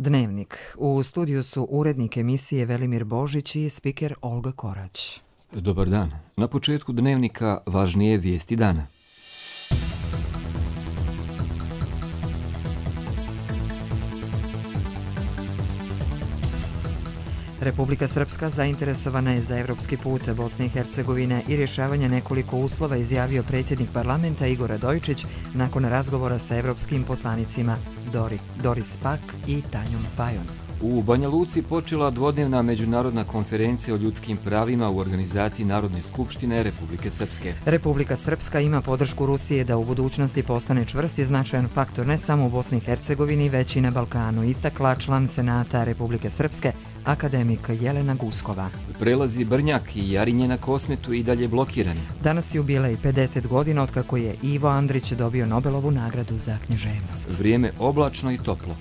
Dnevnik. U studiju su urednik emisije Velimir Božić i spiker Olga Korać. Dobar dan. Na početku Dnevnika važnije vijesti dana. Republika Srpska zainteresovana je za evropski put Bosne i Hercegovine i rješavanje nekoliko uslova, izjavio predsjednik parlamenta Igor Radojičić nakon razgovora sa evropskim poslanicima Doris Pack i Tanjom Fajon. U Banja Luci počela dvodnevna međunarodna konferencija o ljudskim pravima u organizaciji Narodne skupštine Republike Srpske. Republika Srpska ima podršku Rusije da u budućnosti postane čvrst i značajan faktor ne samo u Bosni i Hercegovini, već i na Balkanu, istakla član Senata Republike Srpske, akademik Jelena Guskova. Prelazi Brnjak i Jarinje na Kosmetu i dalje blokirani. Danas jubilej 50 godina otkako je Ivo Andrić dobio Nobelovu nagradu za književnost. Vrijeme oblačno i toplo.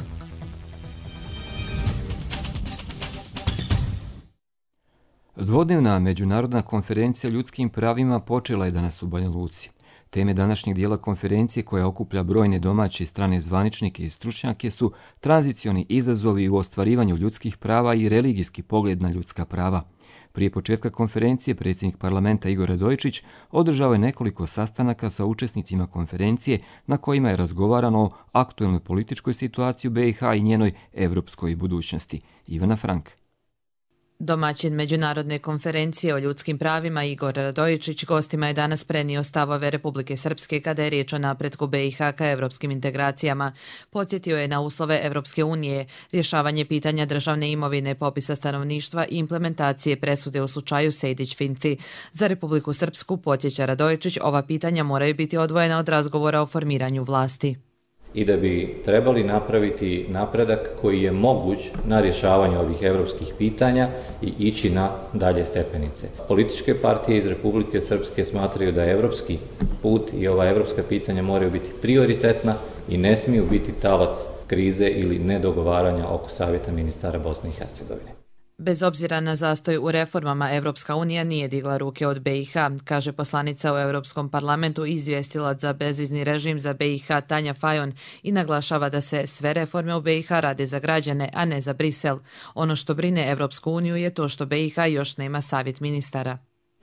Dvodnevna međunarodna konferencija o ljudskim pravima počela je danas u Banja Luci. Teme današnjeg dijela konferencije, koja okuplja brojne domaće i strane zvaničnike i stručnjake, su tranzicioni izazovi u ostvarivanju ljudskih prava i religijski pogled na ljudska prava. Prije početka konferencije predsjednik parlamenta Igor Radojičić održao je nekoliko sastanaka sa učesnicima konferencije na kojima je razgovarano o aktuelnoj političkoj situaciji u BiH i njenoj evropskoj budućnosti. Ivana Frank. Domaćin međunarodne konferencije o ljudskim pravima Igor Radojičić gostima je danas prenio stavove Republike Srpske kada je riječ o napretku BiH ka evropskim integracijama. Podsjetio je na uslove Evropske unije, rješavanje pitanja državne imovine, popisa stanovništva i implementacije presude u slučaju Sejdić-Finci. Za Republiku Srpsku, podsjeća Radojičić, ova pitanja moraju biti odvojena od razgovora o formiranju vlasti. I da bi trebali napraviti napredak koji je moguć na rješavanju ovih evropskih pitanja i ići na dalje stepenice. Političke partije iz Republike Srpske smatraju da je evropski put i ova evropska pitanja moraju biti prioritetna i ne smiju biti talac krize ili nedogovaranja oko Savjeta ministara Bosne i Hercegovine. Bez obzira na zastoj u reformama, Evropska unija nije digla ruke od BiH, kaže poslanica u Europskom parlamentu i izvjestilac za bezvizni režim za BiH Tanja Fajon i naglašava da se sve reforme u BiH rade za građane, a ne za Brisel. Ono što brine Evropsku uniju je to što BiH još nema savjet ministara.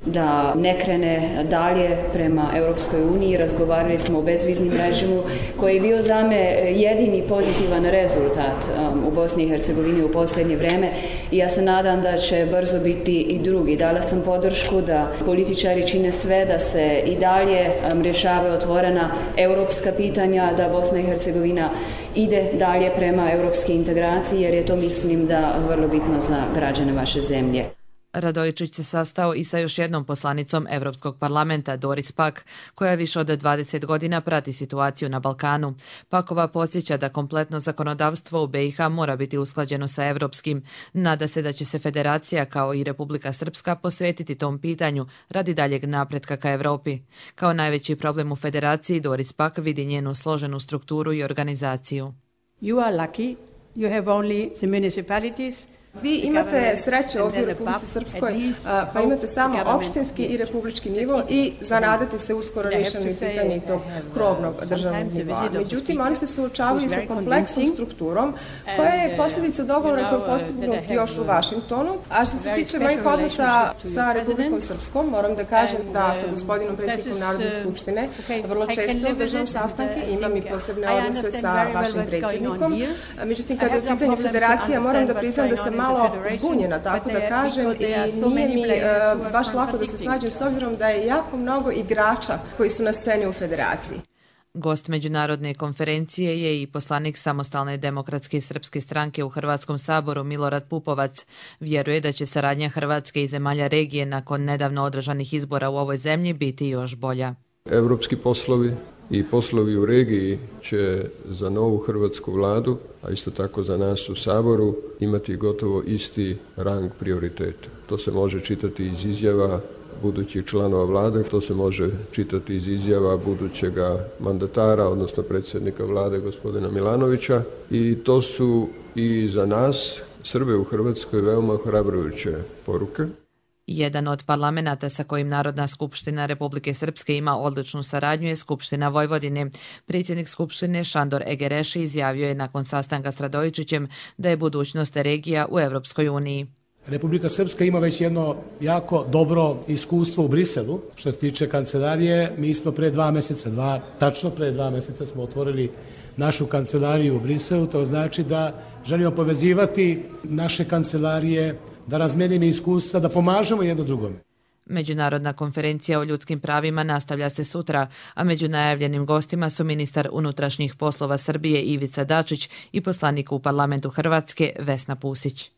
Da ne krene dalje prema Europskoj uniji. Razgovarali smo o bezviznim režimu koji je bio za me jedini pozitivan rezultat u Bosni i Hercegovini u posljednje vrijeme i ja se nadam da će brzo biti i drugi. Dala sam podršku da političari čine sve da se i dalje rješavaju otvorena europska pitanja, da Bosna i Hercegovina ide dalje prema europske integraciji, jer je to, mislim, da vrlo bitno za građane vaše zemlje. Radojičić se sastao i sa još jednom poslanicom Evropskog parlamenta, Doris Pack, koja više od 20 godina prati situaciju na Balkanu. Pakova podsjeća da kompletno zakonodavstvo u BiH mora biti usklađeno sa evropskim. Nada se da će se federacija, kao i Republika Srpska, posvetiti tom pitanju radi daljeg napretka ka Evropi. Kao najveći problem u federaciji, Doris Pack vidi njenu složenu strukturu i organizaciju. You are lucky. You have only the municipalities. Vi imate sreće ovdje u Republici Srpskoj, pa imate samo opštinski i republički nivo i zanadate se uskoro rješenju pitanja i tog krovnog državnog nivoa. Međutim, oni se suočavaju sa kompleksnom strukturom koja je posljedica dogovora koji je postignut još u Vašingtonu. A što se tiče mojih odnosa sa Republikom Srpskom, moram da kažem da sa gospodinom predsjednikom Narodne skupštine vrlo često držam sastanke, imam i posebne odnose sa vašim predsjednikom. Međutim, kada je u pitanju federacija, moram da priznam da sam malo zbunjena, tako da kažem, i nije mi baš lako da se snađem s obzirom da je jako mnogo igrača koji su na sceni u federaciji. Gost međunarodne konferencije je i poslanik Samostalne demokratske srpske stranke u Hrvatskom saboru Milorad Pupovac. Vjeruje da će saradnja Hrvatske i zemalja regije nakon nedavno održanih izbora u ovoj zemlji biti još bolja. Evropski poslovi i poslovi u regiji će za novu hrvatsku vladu, a isto tako za nas u Saboru, imati gotovo isti rang prioriteta. To se može čitati iz izjava budućih članova vlade, to se može čitati iz izjava budućega mandatara, odnosno predsjednika vlade gospodina Milanovića, i to su i za nas, Srbe u Hrvatskoj, veoma ohrabrujuće poruke. Jedan od parlamenata sa kojim Narodna skupština Republike Srpske ima odličnu saradnju je Skupština Vojvodine. Predsjednik Skupštine Šandor Egereši izjavio je nakon sastanka s Radojičićem da je budućnost regija u Evropskoj uniji. Republika Srpska ima već jedno jako dobro iskustvo u Briselu. Što se tiče kancelarije, mi smo tačno pre 2 mjeseca smo otvorili našu kancelariju u Briselu. To znači da želimo povezivati naše kancelarije, da razmenimo iskustva, da pomažemo jedno drugome. Međunarodna konferencija o ljudskim pravima nastavlja se sutra, a među najavljenim gostima su ministar unutrašnjih poslova Srbije Ivica Dačić i poslanik u parlamentu Hrvatske Vesna Pusić.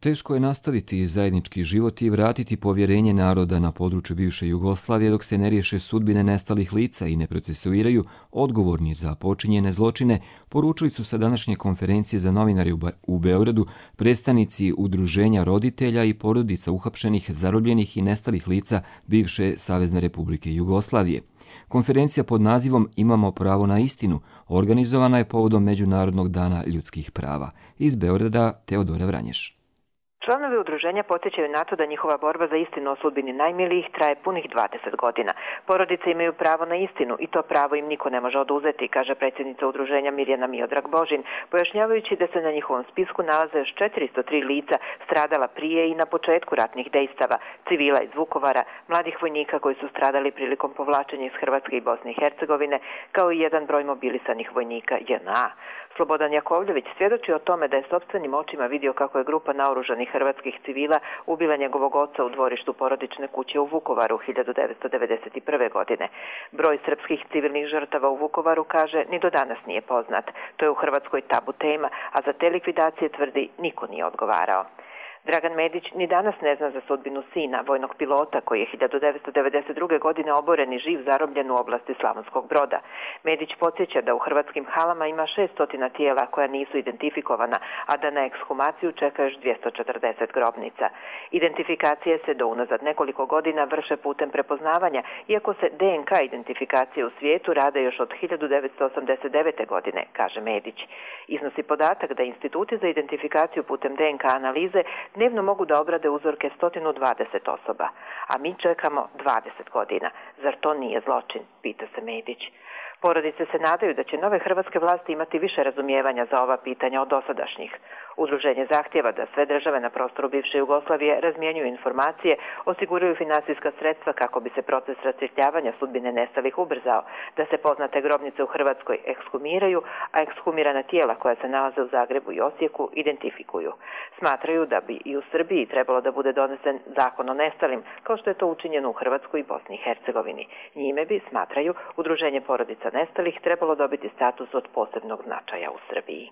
Teško je nastaviti zajednički život i vratiti povjerenje naroda na području bivše Jugoslavije dok se ne riješe sudbine nestalih lica i ne procesuiraju odgovorni za počinjene zločine, poručili su sa današnje konferencije za novinari u Beogradu predstavnici udruženja roditelja i porodica uhapšenih, zarobljenih i nestalih lica bivše Savezne Republike Jugoslavije. Konferencija pod nazivom Imamo pravo na istinu organizovana je povodom Međunarodnog dana ljudskih prava. Iz Beograda Teodora Vranješ. Članovi udruženja podsjećaju na to da njihova borba za istinu o sudbini najmilijih traje punih 20 godina. Porodice imaju pravo na istinu i to pravo im niko ne može oduzeti, kaže predsjednica udruženja Mirjana Miodrag Božin, pojašnjavajući da se na njihovom spisku nalaze još 403 lica stradala prije i na početku ratnih dejstava, civila iz Vukovara, mladih vojnika koji su stradali prilikom povlačenja iz Hrvatske i Bosne i Hercegovine, kao i jedan broj mobilisanih vojnika JNA. Slobodan Jakovljević svjedoči o tome da je sopstvenim očima vidio kako je grupa naoružanih hrvatskih civila ubila njegovog oca u dvorištu porodične kuće u Vukovaru 1991. godine. Broj srpskih civilnih žrtava u Vukovaru, kaže, ni do danas nije poznat. To je u Hrvatskoj tabu tema, a za te likvidacije, tvrdi, niko nije odgovarao. Dragan Medić ni danas ne zna za sudbinu sina, vojnog pilota koji je 1992. godine oboren i živ zarobljen u oblasti Slavonskog Broda. Medić podsjeća da u hrvatskim halama ima 600 tijela koja nisu identifikovana, a da na ekshumaciju čeka još 240 grobnica. Identifikacije se do unazad nekoliko godina vrše putem prepoznavanja, iako se DNK identifikacije u svijetu rade još od 1989. godine, kaže Medić. Iznosi podatak da instituti za identifikaciju putem DNK analize dnevno mogu da obrade uzorke 120 osoba, a mi čekamo 20 godina. Zar to nije zločin, pita se Medić. Porodice se nadaju da će nove hrvatske vlasti imati više razumijevanja za ova pitanja od dosadašnjih. Udruženje zahtjeva da sve države na prostoru bivše Jugoslavije razmjenjuju informacije, osiguraju finansijska sredstva kako bi se proces rasvjetljavanja sudbine nestalih ubrzao, da se poznate grobnice u Hrvatskoj ekshumiraju, a ekshumirana tijela koja se nalaze u Zagrebu i Osijeku identifikuju. Smatraju da bi i u Srbiji trebalo da bude donesen zakon o nestalim, kao što je to učinjeno u Hrvatskoj i Bosni i Hercegovini. Njime bi, smatraju, udruženje porodica nestalih trebalo dobiti status od posebnog značaja u Srbiji.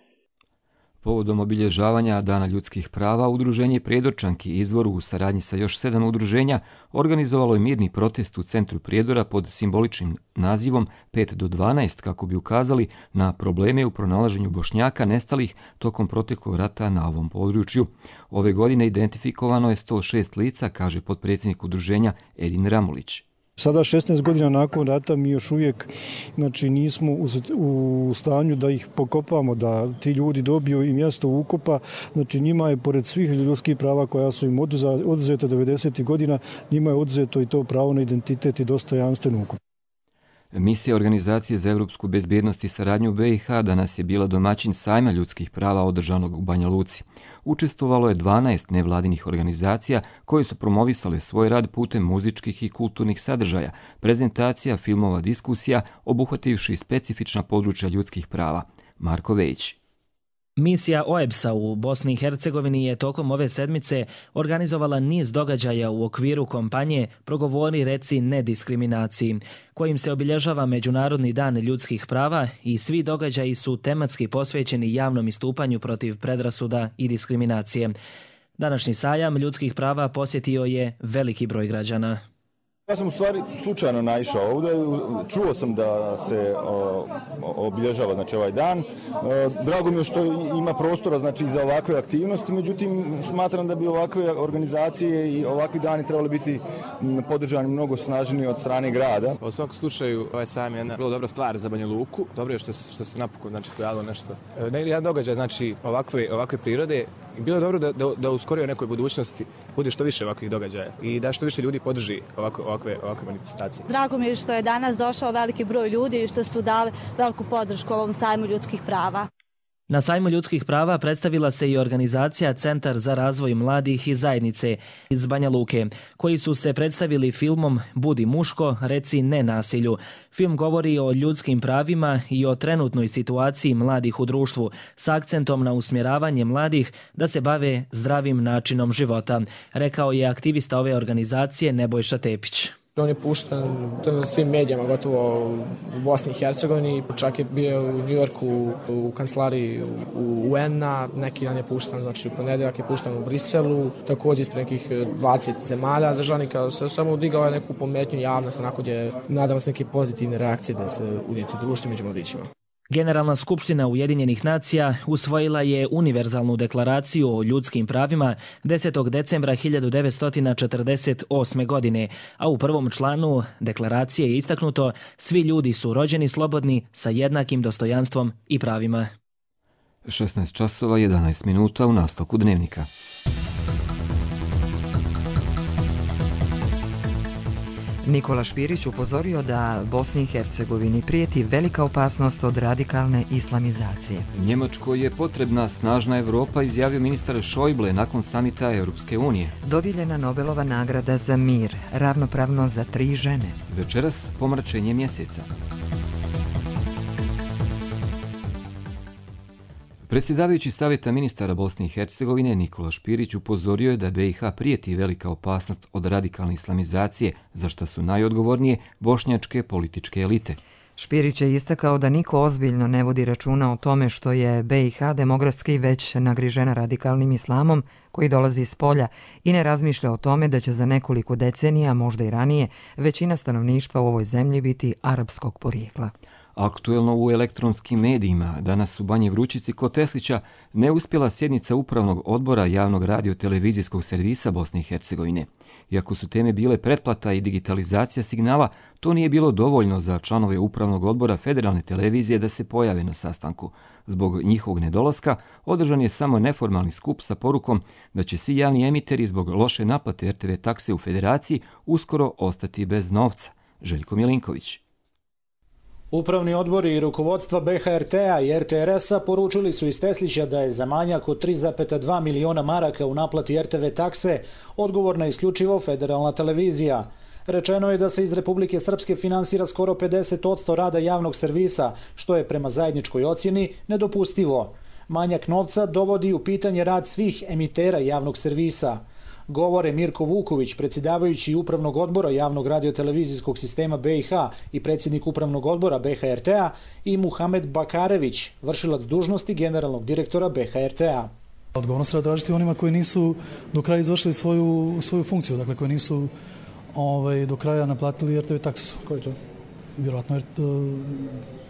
Povodom obilježavanja Dana ljudskih prava, udruženje Prijedorčanki Izvoru u saradnji sa još 7 udruženja organizovalo je mirni protest u centru Prijedora pod simboličnim nazivom 5 do 12 kako bi ukazali na probleme u pronalaženju Bošnjaka nestalih tokom proteklog rata na ovom području. Ove godine identifikovano je 106 lica, kaže potpredsjednik udruženja Edin Ramulić. Sada 16 godina nakon rata mi još uvijek nismo u stanju da ih pokopamo, da ti ljudi dobiju i mjesto ukopa. Znači njima je pored svih ljudskih prava koja su im oduzeta 90. godina, njima je oduzeto i to pravo na identitet i dostojanstven ukop. Misija Organizacije za evropsku bezbjednost i saradnju BiH danas je bila domaćin sajma ljudskih prava održanog u Banja Luci. Učestvovalo je 12 nevladinih organizacija koje su promovisale svoj rad putem muzičkih i kulturnih sadržaja, prezentacija, filmova, diskusija, obuhvativši specifična područja ljudskih prava. Marko Vejić. Misija OEBS-a u Bosni i Hercegovini je tokom ove sedmice organizovala niz događaja u okviru kampanje Progovori reci nediskriminaciji, kojim se obilježava Međunarodni dan ljudskih prava i svi događaji su tematski posvećeni javnom istupanju protiv predrasuda i diskriminacije. Današnji sajam ljudskih prava posjetio je veliki broj građana. Ja sam u stvari slučajno naišao ovdje, čuo sam da se obilježava ovaj dan. Drago mi je što ima prostora za ovakve aktivnosti, međutim smatram da bi ovakve organizacije i ovakvi dani trebali biti podržani mnogo snažniji od strane grada. U svakom slučaju ovaj sajam je jedna vrlo dobra stvar za Banja Luku. Dobro je što se napokon pojavilo nešto. Jedan događaj ovakve prirode I bilo je dobro da u skorijoj nekoj budućnosti bude što više ovakvih događaja i da što više ljudi podrži ovakve manifestacije. Drago mi je što je danas došao veliki broj ljudi i što su dali veliku podršku ovom sajmu ljudskih prava. Na sajmu ljudskih prava predstavila se i organizacija Centar za razvoj mladih i zajednice iz Banja Luke, koji su se predstavili filmom Budi muško, reci ne nasilju. Film govori o ljudskim pravima i o trenutnoj situaciji mladih u društvu, s akcentom na usmjeravanje mladih da se bave zdravim načinom života, rekao je aktivista ove organizacije Nebojša Tepić. On je pušten na svim medijama, gotovo u Bosni i Hercegovini, čak je bio u Njujorku u kancelariji UN-a, neki dan je pušten, znači u ponedjeljak je pušten u Briselu, također ispred nekih 20 zemalja državnika, se samo udigao je neku pometnju javnost, onako gdje nadamo se neke pozitivne reakcije da se udjeti u društvu među mladićima. Generalna skupština Ujedinjenih nacija usvojila je univerzalnu deklaraciju o ljudskim pravima 10. decembra 1948. godine, a u prvom članu deklaracije je istaknuto: svi ljudi su rođeni slobodni sa jednakim dostojanstvom i pravima. 16 časova 11 minuta u nastavku dnevnika. Nikola Špirić upozorio da Bosni i Hercegovini prijeti velika opasnost od radikalne islamizacije. Njemačkoj je potrebna snažna Evropa, izjavio ministar Schäuble nakon samita Europske unije. Dodijeljena Nobelova nagrada za mir, ravnopravno za 3 žene. Večeras pomračenje mjeseca. Predsjedavajući Savjeta ministara Bosne i Hercegovine Nikola Špirić upozorio je da BiH prijeti velika opasnost od radikalne islamizacije, za što su najodgovornije bošnjačke političke elite. Špirić je istakao da niko ozbiljno ne vodi računa o tome što je BiH demografski već nagrižena radikalnim islamom koji dolazi iz polja i ne razmišlja o tome da će za nekoliko decenija, možda i ranije, većina stanovništva u ovoj zemlji biti arapskog porijekla. Aktuelno u elektronskim medijima, danas u Banji Vrućici kod Teslića neuspjela sjednica Upravnog odbora javnog radio-televizijskog servisa Bosne i Hercegovine. Iako su teme bile pretplata i digitalizacija signala, to nije bilo dovoljno za članove Upravnog odbora Federalne televizije da se pojave na sastanku. Zbog njihovog nedolaska održan je samo neformalni skup sa porukom da će svi javni emiteri zbog loše naplate RTV takse u Federaciji uskoro ostati bez novca. Željko Milinković. Upravni odbori i rukovodstva BHRT-a i RTRS-a poručili su iz Teslića da je za manjak od 3,2 miliona maraka u naplati RTV takse odgovorna isključivo Federalna televizija. Rečeno je da se iz Republike Srpske finansira skoro 50% rada javnog servisa, što je prema zajedničkoj ocjeni nedopustivo. Manjak novca dovodi u pitanje rad svih emitera javnog servisa. Govore Mirko Vuković, predsjedavajući Upravnog odbora javnog radiotelevizijskog sistema BiH i predsjednik Upravnog odbora BHRT-a, i Muhamed Bakarević, vršilac dužnosti generalnog direktora BHRT-a. Odgovornost treba tražiti onima koji nisu do kraja izvršili svoju funkciju, dakle koji nisu do kraja naplatili RTV taksu. Koji je to? Vjerojatno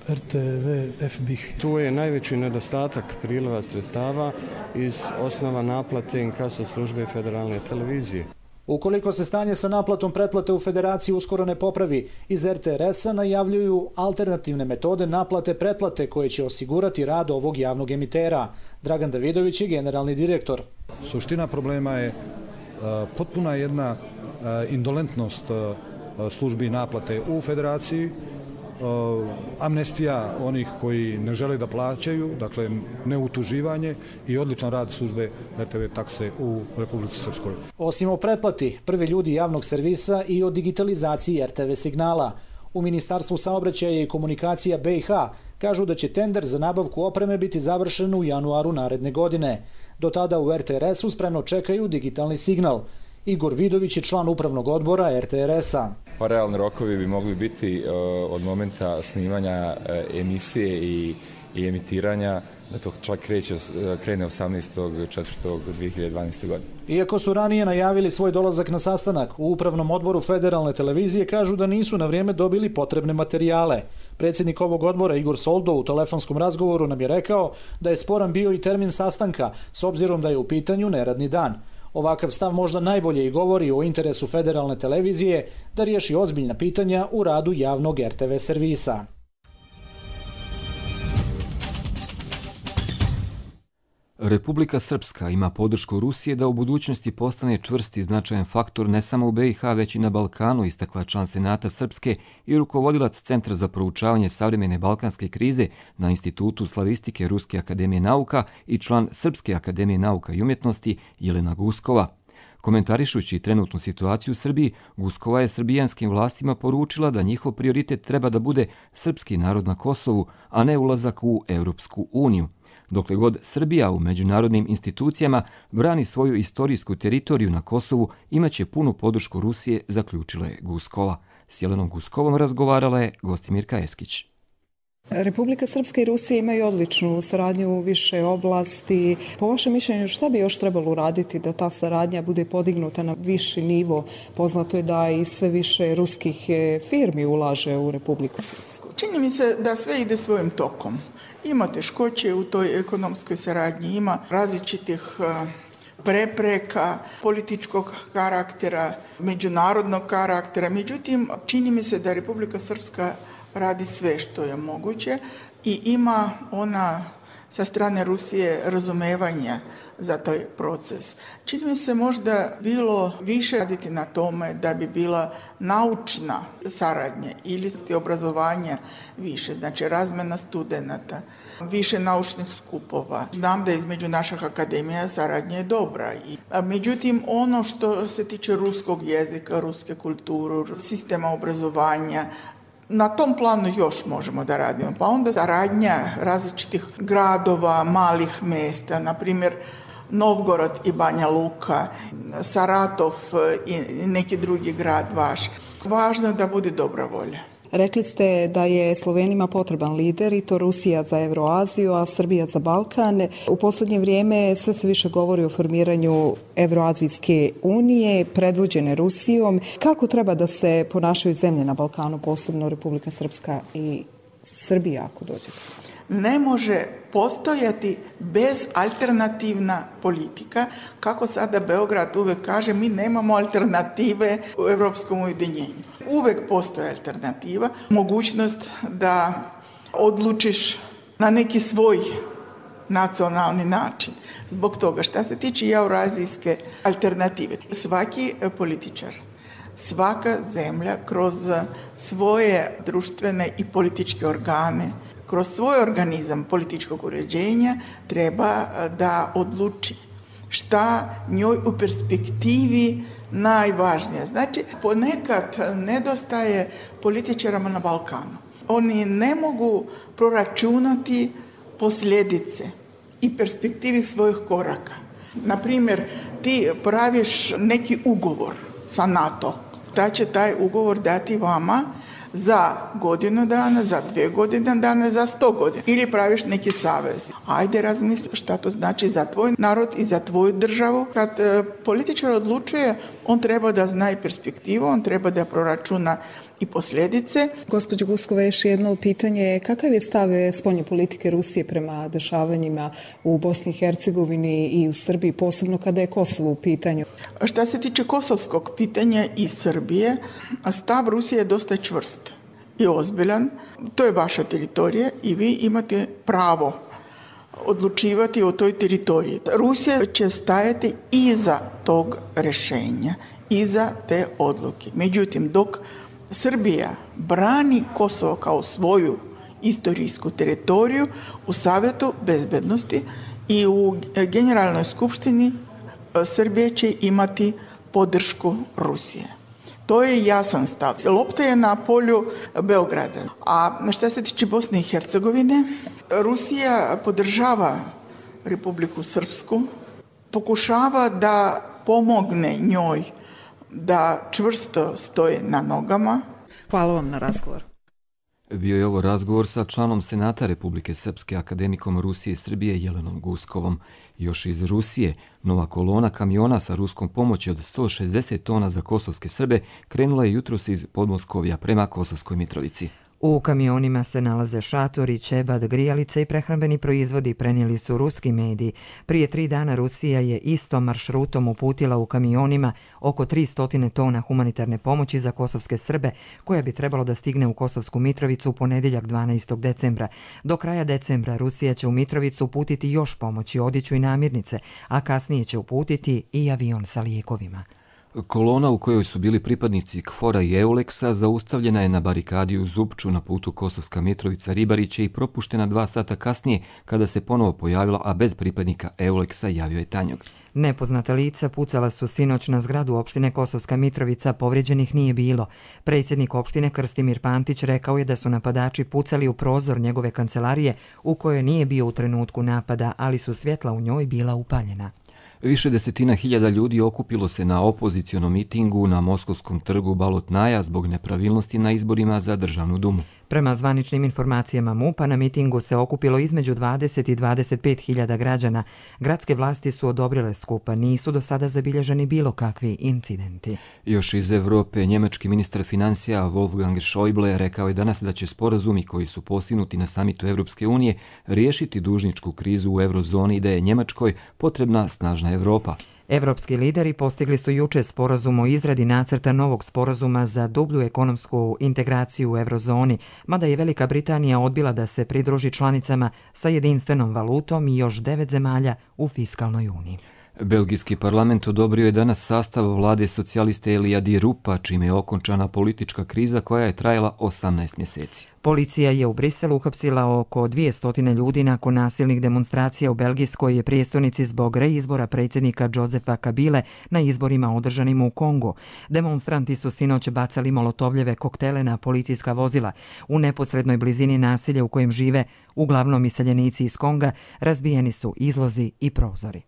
RTV FBIH. Tu je najveći nedostatak priliva sredstava iz osnova naplate inkaso službe Federalne televizije. Ukoliko se stanje sa naplatom pretplate u Federaciji uskoro ne popravi, iz RTRS-a najavljuju alternativne metode naplate pretplate koje će osigurati rad ovog javnog emitera. Dragan Davidović je generalni direktor. Suština problema je potpuna jedna indolentnost službi naplate u Federaciji, amnestija onih koji ne žele da plaćaju, dakle neutuživanje i odličan rad službe RTV takse u Republici Srpskoj. Osim o pretplati, prvi ljudi javnog servisa i o digitalizaciji RTV signala. U Ministarstvu saobraćaja i komunikacija BiH kažu da će tender za nabavku opreme biti završen u januaru naredne godine. Do tada u RTRS-u spremno čekaju digitalni signal. Igor Vidović je član Upravnog odbora RTRS-a. Pa realni rokovi bi mogli biti od momenta snimanja emisije i emitiranja, da to čak krene 18.4.2012. godine. Iako su ranije najavili svoj dolazak na sastanak, u Upravnom odboru Federalne televizije kažu da nisu na vrijeme dobili potrebne materijale. Predsjednik ovog odbora Igor Soldo u telefonskom razgovoru nam je rekao da je sporan bio i termin sastanka, s obzirom da je u pitanju neradni dan. Ovakav stav možda najbolje i govori o interesu Federalne televizije da riješi ozbiljna pitanja u radu javnog RTV servisa. Republika Srpska ima podršku Rusije da u budućnosti postane čvrst i značajan faktor ne samo u BiH, već i na Balkanu, istakla član Senata Srpske i rukovodilac Centra za proučavanje savremene balkanske krize na Institutu slavistike Ruske akademije nauka i član Srpske akademije nauka i umjetnosti Jelena Guskova. Komentarišući trenutnu situaciju u Srbiji, Guskova je srbijanskim vlastima poručila da njihov prioritet treba da bude srpski narod na Kosovu, a ne ulazak u Europsku uniju. Dokle god Srbija u međunarodnim institucijama brani svoju istorijsku teritoriju na Kosovu, imaće punu podršku Rusije, zaključila je Guskova. S Jelenom Guskovom razgovarala je Gostimirka Eskić. Republika Srpska i Rusija imaju odličnu saradnju u više oblasti. Po vašem mišljenju, šta bi još trebalo uraditi da ta saradnja bude podignuta na viši nivo? Poznato je da i sve više ruskih firmi ulaže u Republiku Srpsku. Čini mi se da sve ide svojim tokom. Ima teškoće u toj ekonomskoj saradnji, ima različitih prepreka, političkog karaktera, međunarodnog karaktera. Međutim, čini mi se da Republika Srpska radi sve što je moguće i ima ona sa strane Rusije razumevanja za taj proces. Čini mi se možda bilo više raditi na tome da bi bila naučna saradnja ili obrazovanja više, znači razmjena studenata, više naučnih skupova. Znam da između naših akademija saradnja je dobra. Međutim, ono što se tiče ruskog jezika, ruske kulture, sistema obrazovanja, na tom planu još možemo da radimo. Pa onda saradnja različitih gradova, malih mesta, na primjer Novgorod i Banja Luka, Saratov i neki drugi grad vaš. Važno je da bude dobra volja. Rekli ste da je Slovenima potreban lider i to Rusija za Evroaziju, a Srbija za Balkan. U posljednje vrijeme sve se više govori o formiranju Evroazijske unije, predvođene Rusijom. Kako treba da se ponašaju zemlje na Balkanu, posebno Republika Srpska i Srbija, ako dođe? Ne može postojati bezalternativna politika. Kako sada Beograd uvek kaže, mi nemamo alternative u Evropskom ujedinjenju. Uvek postoji alternativa, mogućnost da odlučiš na neki svoj nacionalni način. Zbog toga, šta se tiče eurazijske alternative, svaki političar, svaka zemlja kroz svoje društvene i političke organe, kroz svoj organizam političkog uređenja treba da odluči šta njoj u perspektivi najvažnije. Znači, ponekad nedostaje političarama na Balkanu. Oni ne mogu proračunati posljedice i perspektivi svojih koraka. Naprimjer, ti praviš neki ugovor sa NATO, da će taj ugovor dati vama za godinu dana, za 2 godine dana, za 100 godina. Ili praviš neki savez. Ajde razmisli šta to znači za tvoj narod i za tvoju državu. Kad političar odlučuje, on treba da zna i perspektivu, on treba da proračuna i posljedice. Gospođo Guskova, još jedno pitanje. Kakav je stav spoljne politike Rusije prema dešavanjima u Bosni i Hercegovini i u Srbiji, posebno kada je Kosovo u pitanju? Šta se tiče kosovskog pitanja i Srbije, stav Rusije je dosta čvrst i ozbiljan. To je vaša teritorija i vi imate pravo odlučivati o toj teritoriji. Rusija će stajati iza tog rješenja, iza te odluke. Međutim, dok Srbija brani Kosovo kao svoju istorijsku teritoriju, u Savjetu bezbednosti i u Generalnoj skupštini Srbije će imati podršku Rusije. To je jasan stav. Lopta je na polju Beograda. A šta se tiče Bosne i Hercegovine, Rusija podržava Republiku Srpsku, pokušava da pomogne njoj da čvrsto stoje na nogama. Hvala vam na razgovor. Bio je ovo razgovor sa članom Senata Republike Srpske, akademikom Rusije i Srbije Jelenom Guskovom. Još iz Rusije, nova kolona kamiona sa ruskom pomoći od 160 tona za kosovske Srbe krenula je jutros iz Podmoskovja prema Kosovskoj Mitrovici. U kamionima se nalaze šatori, ćebad, grijalice i prehrambeni proizvodi, prenijeli su ruski mediji. Prije 3 dana Rusija je istom maršrutom uputila u kamionima oko 300 tona humanitarne pomoći za kosovske Srbe, koja bi trebalo da stigne u Kosovsku Mitrovicu u ponedjeljak 12. decembra. Do kraja decembra Rusija će u Mitrovicu uputiti još pomoći, odjeću i namirnice, a kasnije će uputiti i avion sa lijekovima. Kolona u kojoj su bili pripadnici KFOR-a i EULEX-a zaustavljena je na barikadi u Zupču na putu Kosovska Mitrovica-Ribariće i propuštena 2 sata kasnije kada se ponovo pojavila, a bez pripadnika EULEX-a, javio je Tanjug. Nepoznata lica pucala su sinoć na zgradu opštine Kosovska Mitrovica, povrijeđenih nije bilo. Predsjednik opštine Krstimir Pantić rekao je da su napadači pucali u prozor njegove kancelarije u kojoj nije bio u trenutku napada, ali su svjetla u njoj bila upaljena. Više desetina hiljada ljudi okupilo se na opozicionom mitingu na Moskovskom trgu Balotnaja zbog nepravilnosti na izborima za Državnu dumu. Prema zvaničnim informacijama MUP-a na mitingu se okupilo između 20 i 25 hiljada građana. Gradske vlasti su odobrile skup, nisu do sada zabilježeni bilo kakvi incidenti. Još iz Evrope, njemački ministar financija Wolfgang Schäuble rekao je danas da će sporazumi koji su postignuti na samitu Evropske unije riješiti dužničku krizu u eurozoni i da je Njemačkoj potrebna snažna Evropa. Evropski lideri postigli su juče sporazum o izradi nacrta novog sporazuma za dublju ekonomsku integraciju u eurozoni, mada je Velika Britanija odbila da se pridruži članicama sa jedinstvenom valutom i još 9 zemalja u fiskalnoj uniji. Belgijski parlament odobrio je danas sastav vlade socijaliste Elija Di Rupa, čime je okončana politička kriza koja je trajala 18 mjeseci. Policija je u Briselu uhapsila oko 200 ljudi nakon nasilnih demonstracija u belgijskoj prijestolnici zbog reizbora predsjednika Josefa Kabile na izborima održanim u Kongu. Demonstranti su sinoć bacali molotovljeve koktele na policijska vozila. U neposrednoj blizini nasilja u kojem žive uglavnom iseljenici iz Konga razbijeni su izlozi i prozori.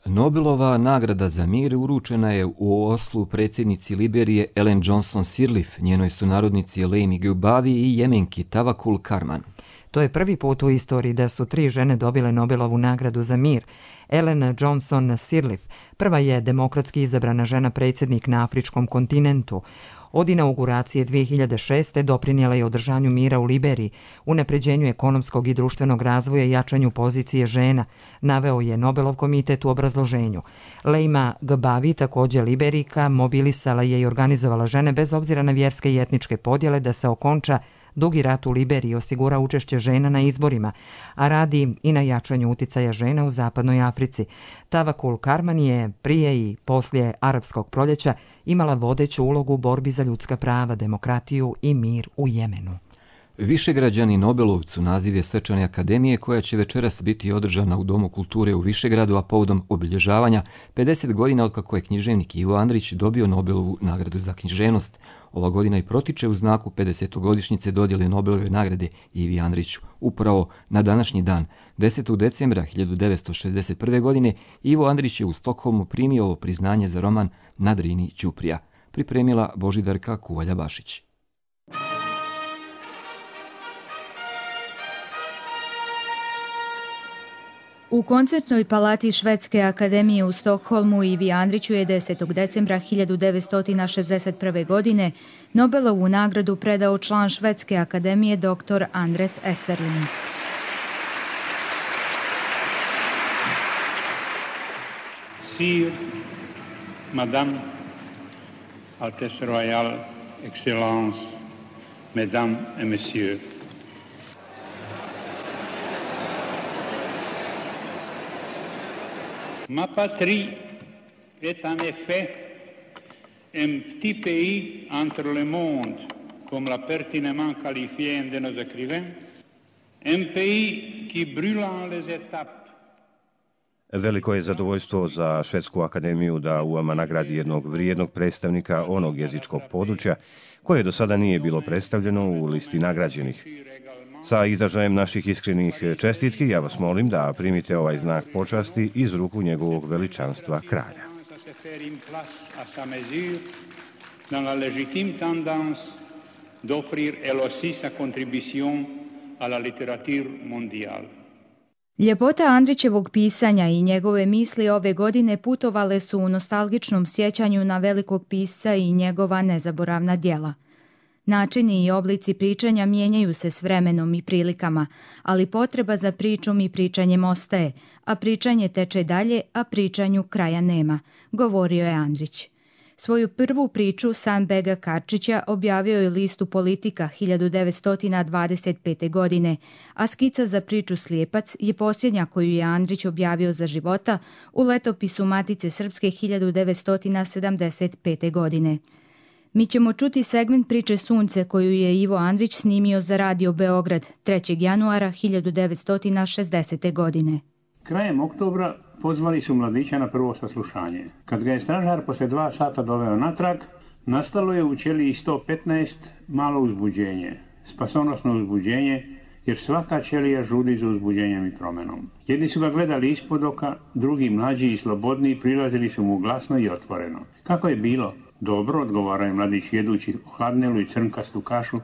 Nobelova nagrada za mir uručena je u Oslu predsjednici Liberije Ellen Johnson Sirleaf, njenoj sunarodnici Laimi Gubavi i Jemenki Tawakkul Karman. To je prvi put u istoriji da su 3 žene dobile Nobelovu nagradu za mir. Ellen Johnson Sirleaf prva je demokratski izabrana žena predsjednik na afričkom kontinentu. Od inauguracije 2006. doprinijela je održanju mira u Liberiji, unapređenju ekonomskog i društvenog razvoja i jačanju pozicije žena, naveo je Nobelov komitet u obrazloženju. Laima Gbavi, također Liberijka, mobilisala je i organizovala žene bez obzira na vjerske i etničke podjele da se okonča dugi rat u Liberiji, osigura učešće žena na izborima, a radi i na jačanju uticaja žena u zapadnoj Africi. Tawakkul Karman je prije i poslije arapskog proljeća imala vodeću ulogu u borbi za ljudska prava, demokratiju i mir u Jemenu. Višegrađani Nobelovcu naziv je svečane akademije koja će večeras biti održana u Domu kulture u Višegradu, a povodom obilježavanja 50 godina otkako je književnik Ivo Andrić dobio Nobelovu nagradu za književnost. Ova godina i protiče u znaku 50-godišnjice dodjele Nobelove nagrade Ivi Andriću. Upravo na današnji dan, 10. decembra 1961. godine, Ivo Andrić je u Stokholmu primio ovo priznanje za roman Na Drini Ćuprija. Pripremila Božidarka Kuvalja-Bašić. U koncertnoj palati Švedske akademije u Stokholmu Ivi Andriću je 10. decembra 1961. godine Nobelovu nagradu predao član Švedske akademije dr. Andres Esterling. Sire, Madame, Altesse Royale, Excellence, Mesdames et Messieurs. Ma patrie est en effet un petit pays entre le monde, comme l'a pertinemment qualifié un de nos écrivains, un pays qui brûlant les étapes. Veliko je zadovoljstvo za Švedsku akademiju da UAMA nagradi jednog vrijednog predstavnika onog jezičkog područja koje do sada nije bilo predstavljeno u listi nagrađenih. Sa izražajem naših iskrenih čestitki ja vas molim da primite ovaj znak počasti iz ruku njegovog veličanstva kralja. Dans la légitime tendance d'offrir elle aussi sa contribution à la littérature mondiale. Ljepota Andrićevog pisanja i njegove misli ove godine putovale su u nostalgičnom sjećanju na velikog pisca i njegova nezaboravna djela. Načini i oblici pričanja mijenjaju se s vremenom i prilikama, ali potreba za pričom i pričanjem ostaje, a pričanje teče dalje, a pričanju kraja nema, govorio je Andrić. Svoju prvu priču Sam Bega Karčića objavio je listu Politika 1925. godine, a skica za priču Slijepac je posljednja koju je Andrić objavio za života u letopisu Matice Srpske 1975. godine. Mi ćemo čuti segment priče Sunce koju je Ivo Andrić snimio za Radio Beograd 3. januara 1960. godine. Krajem oktobra pozvali su mladića na prvo saslušanje. Kad ga je stražar poslije 2 sata doveo natrag, nastalo je u ćeliji 115 malo uzbuđenje, spasonosno uzbuđenje, jer svaka ćelija žudi za uzbuđenjem i promenom. Jedni su ga gledali ispod oka, drugi mlađi i slobodniji prilazili su mu glasno i otvoreno. Kako je bilo? Dobro, odgovarao je mladić jedući hladnelu i crnkastu kašu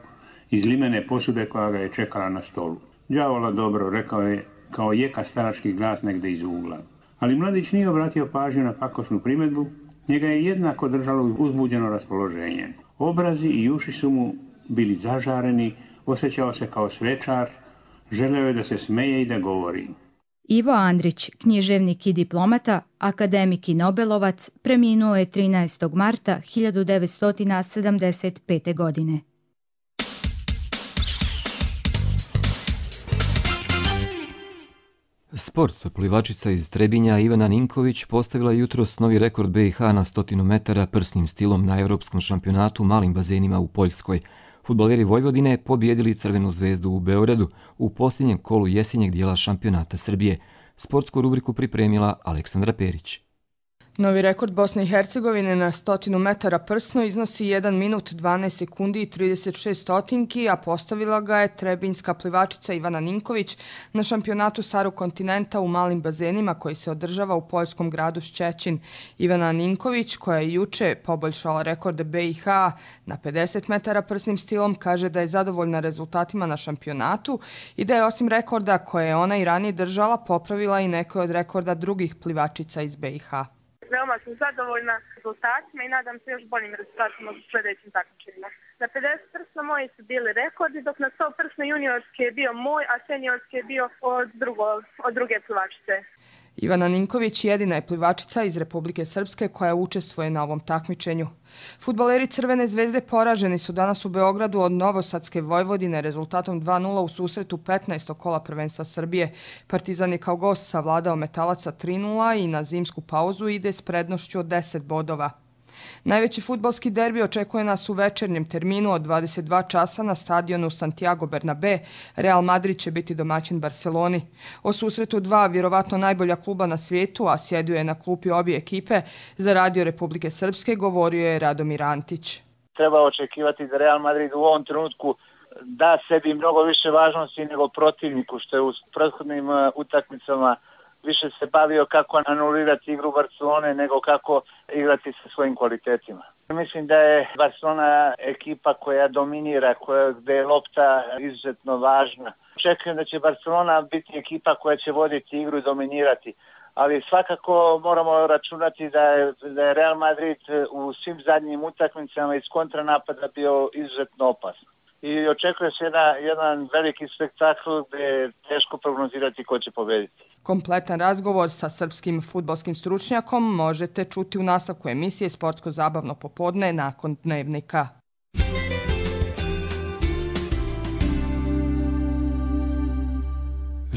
iz limene posude koja ga je čekala na stolu. Đavola dobro, rekao je, kao jeka starački glas negdje iz ugla. Ali mladić nije obratio pažnju na pakosnu primjedbu, njega je jednako držalo uzbuđeno raspoloženje. Obrazi i uši su mu bili zažareni, osjećao se kao svečar, želeo je da se smeje i da govori. Ivo Andrić, književnik i diplomata, akademik i nobelovac, preminuo je 13. marta 1975. godine. Sport. Plivačica iz Trebinja Ivana Ninković postavila jutros novi rekord BiH na 100 metara prsnim stilom na Evropskom šampionatu malim bazenima u Poljskoj. Fudbaleri Vojvodine pobijedili Crvenu zvezdu u Beogradu u posljednjem kolu jesenjeg dijela šampionata Srbije. Sportsku rubriku pripremila Aleksandra Perić. Novi rekord Bosne i Hercegovine na 100 metara prsno iznosi 1 minut 12 sekundi i 36 stotinki, a postavila ga je trebinjska plivačica Ivana Ninković na šampionatu Starog kontinenta u malim bazenima koji se održava u poljskom gradu Ščećin. Ivana Ninković, koja je juče poboljšala rekorde BiH na 50 metara prsnim stilom, kaže da je zadovoljna rezultatima na šampionatu i da je osim rekorda koje je ona i ranije držala, popravila i neke od rekorda drugih plivačica iz BiH. Veoma sam zadovoljna rezultatima i nadam se još boljim rezultatima u sljedećim takmičenjima. Na 50 prsno moji su bili rekordi, dok na 100 prsno juniorski je bio moj, a seniorski je bio od druge plivačice. Ivana Ninković jedina je plivačica iz Republike Srpske koja učestvuje na ovom takmičenju. Fudbaleri Crvene zvezde poraženi su danas u Beogradu od Novosadske Vojvodine rezultatom 2:0 u susretu 15. kola prvenstva Srbije. Partizan je kao gost savladao Metalaca 3:0 i na zimsku pauzu ide s prednošću od 10 bodova. Najveći fudbalski derbi očekuje nas u večernjem terminu od 22 časa na stadionu Santiago Bernabé. Real Madrid će biti domaćin Barceloni. O susretu dva vjerovatno najbolja kluba na svijetu, a sjedio je na klupi obje ekipe, za Radio Republike Srpske govorio je Radomir Antić. Treba očekivati da Real Madrid u ovom trenutku da sebi mnogo više važnosti nego protivniku, što je u prethodnim utakmicama više se bavio kako anulirati igru Barcelone nego kako igrati sa svojim kvalitetima. Mislim da je Barcelona ekipa koja dominira, gdje je lopta izuzetno važna. Očekujem da će Barcelona biti ekipa koja će voditi igru i dominirati, ali svakako moramo računati da je Real Madrid u svim zadnjim utakmicama iz kontranapada bio izuzetno opasan. I očekuje se jedan veliki spektakl gdje je teško prognozirati ko će pobediti. Kompletan razgovor sa srpskim fudbalskim stručnjakom možete čuti u nastavku emisije Sportsko-zabavno popodne nakon Dnevnika.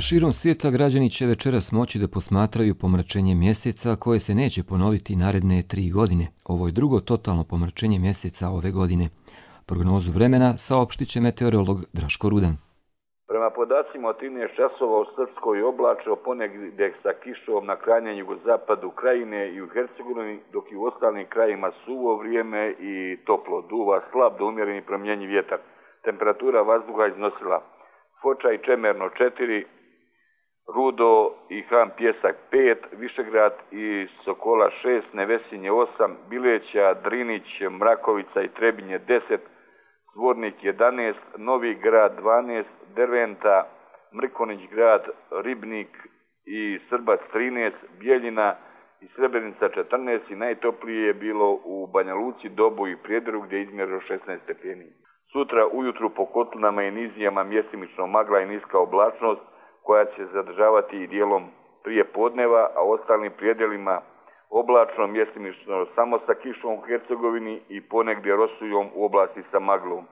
Širom svijeta građani će večeras moći da posmatraju pomračenje mjeseca koje se neće ponoviti naredne 3 godine. Ovo je drugo totalno pomračenje mjeseca ove godine. Prognozu vremena saopštit će meteorolog Draško Rudan. Prema podacima od 13 časova u Srpskoj oblačno, ponegdje sa kišom na krajnjem jugozapadu krajine i u Hercegovini, dok i u ostalim krajima suvo vrijeme i toplo, duva slab do umjereni promjenjiv vjetar. Temperatura vazduha iznosila Foča i Čemerno 4, Rudo i Han Pjesak 5, Višegrad i Sokola 6, Nevesinje 8, Bileća, Drinić, Mrakovica i Trebinje 10, Zvornik 11, Novi Grad 12, Derventa Mrkonić grad, Ribnik i Srbac 13, Bijeljina i Srebrenica 14 i najtoplije je bilo u Banja Luci, Dobu i Prijedoru gdje je izmjerilo 16 stepeni. Sutra ujutru po kotlinama i nizijama mjestimično magla i niska oblačnost koja će zadržavati i dijelom prije podneva, a ostalim prijedelima oblačno, mjestimično samo sa kišom u Hercegovini i ponegdje rosujom u oblasti sa maglom.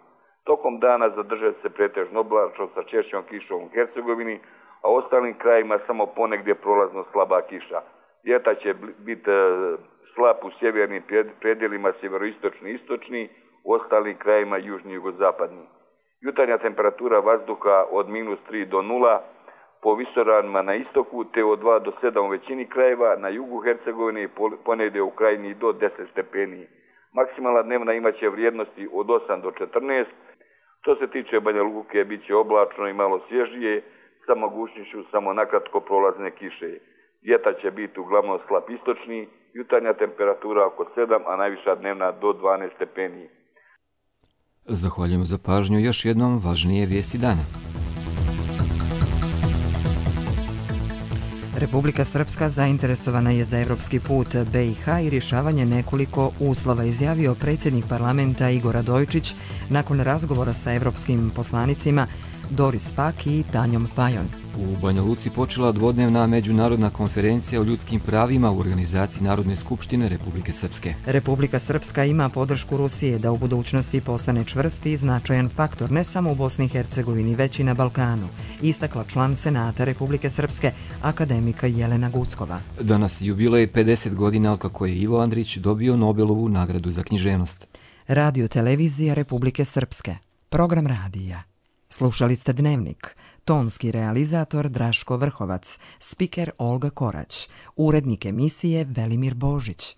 Tokom dana zadržat se pretežno oblačno sa češćom kišom u Hercegovini, a ostalim krajima samo ponegdje prolazno slaba kiša. Vjetar će biti slab u sjevernim predjelima sjeveroistočni i istočni, u ostalim krajima južni i jugozapadni. Jutarnja temperatura vazduha od -3 do 0, po visoravnima na istoku, te od 2 do 7 u većini krajeva, na jugu Hercegovine i ponegdje u krajini do 10 stepeni. Maksimalna dnevna imaće vrijednosti od 8 do 14. Što se tiče Banja Luke, bit će oblačno i malo svježije, sa mogućnošću samo nakratko prolazne kiše. Vjetar će biti uglavnom slab istočni, jutarnja temperatura oko 7, a najviša dnevna do 12 stepeni. Zahvaljujemo za pažnju. Još jednom važnije vijesti dana. Republika Srpska zainteresovana je za evropski put BiH i rješavanje nekoliko uslova, izjavio predsjednik parlamenta Igor Radojčić nakon razgovora sa evropskim poslanicima Doris Pack i Tanjom Fajon. U Banja Luci počela dvodnevna međunarodna konferencija o ljudskim pravima u organizaciji Narodne skupštine Republike Srpske. Republika Srpska ima podršku Rusije da u budućnosti postane čvrsti i značajan faktor ne samo u Bosni i Hercegovini, već i na Balkanu, istakla član Senata Republike Srpske, akademika Jelena Guckova. Danas jubilej 50 godina otkako je Ivo Andrić dobio Nobelovu nagradu za književnost. Radio televizija Republike Srpske. Program radija. Slušali ste Dnevnik. Tonski realizator Draško Vrhovac, spiker Olga Korać, urednik emisije Velimir Božić.